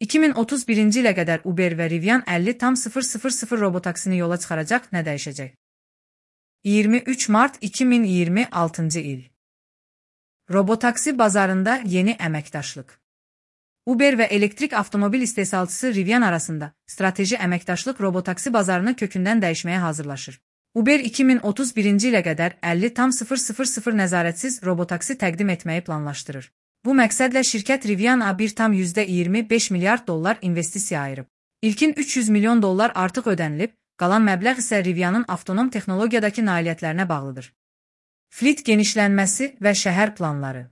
2031-ci ilə qədər Uber və Rivian 50,000 robotaksini yola çıxaracaq, nə dəyişəcək? 23 mart 2026-cı il. Robotaksi bazarında yeni əməkdaşlıq. Uber və elektrik avtomobil istehsalçısı Rivian arasında strateji əməkdaşlıq robotaksi bazarını kökündən dəyişməyə hazırlaşır. Uber 2031-ci ilə qədər 50,000 nəzarətsiz robotaksi təqdim etməyi planlaşdırır. Bu məqsədlə şirkət Riviana $1,25 milyard investisiya ayırıb. İlkin $300 milyon artıq ödənilib, qalan məbləğ isə Rivianın avtonom texnologiyadakı nailiyyətlərinə bağlıdır. Fleet genişlənməsi və şəhər planları.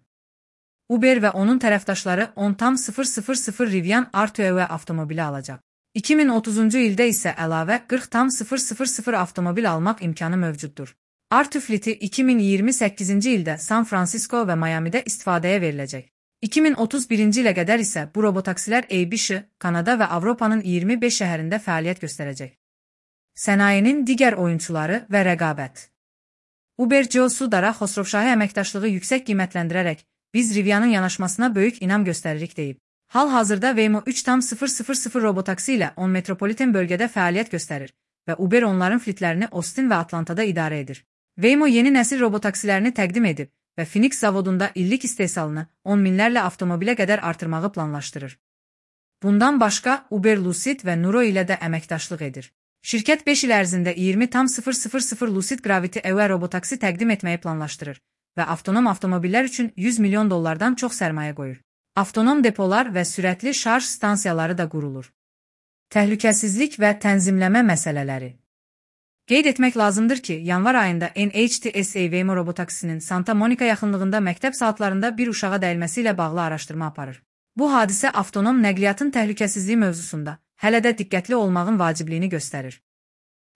Uber və onun tərəfdaşları 10,000 Rivian R2EV avtomobili alacaq. 2030-cu ildə isə əlavə 40,000 avtomobil almaq imkanı mövcuddur. R2 Fleet'i 2028-ci ildə San Francisco və Miami'də istifadəyə veriləcək. 2031-ci ilə qədər isə bu robotaksilər ABC, Kanada və Avropanın 25 şəhərində fəaliyyət göstərəcək. Sənayenin digər oyunçuları və rəqabət. Uber CEO Sundar Khosrowshahi əməkdaşlığı yüksək qiymətləndirərək, biz Rivianın yanaşmasına böyük inam göstəririk deyib. Hal-hazırda Waymo 3,000 robotaksi ilə 10 metropoliten bölgədə fəaliyyət göstərir və Uber onların fleetlərini Austin və Atlantada idarə edir. Waymo yeni nəsil robotaksilərini təqdim edib və Phoenix zavodunda illik istehsalını 10 minlərlə avtomobilə qədər artırmağı planlaşdırır. Bundan başqa, Uber Lucid və Nuro ilə də əməkdaşlıq edir. Şirkət 5 il ərzində 20,000 Lucid Gravity EV robotaksi təqdim etməyi planlaşdırır və avtonom avtomobillər üçün $100 milyon çox sərmayə qoyur. Avtonom depolar və sürətli şarj stansiyaları da qurulur. Təhlükəsizlik və tənzimləmə məsələləri. Qeyd etmək lazımdır ki, yanvar ayında NHTSA Waymo robotaksisinin Santa Monica yaxınlığında məktəb saatlarında bir uşağa dəyilməsi ilə bağlı araşdırma aparır. Bu hadisə avtonom nəqliyyatın təhlükəsizliyi mövzusunda hələ də diqqətli olmağın vacibliyini göstərir.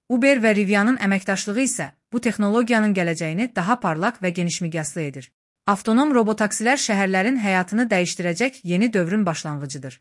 Uber və Rivianın əməkdaşlığı isə bu texnologiyanın gələcəyini daha parlaq və genişmiqyaslı edir. Avtonom robotaksilər şəhərlərin həyatını dəyişdirəcək yeni dövrün başlanğıcıdır.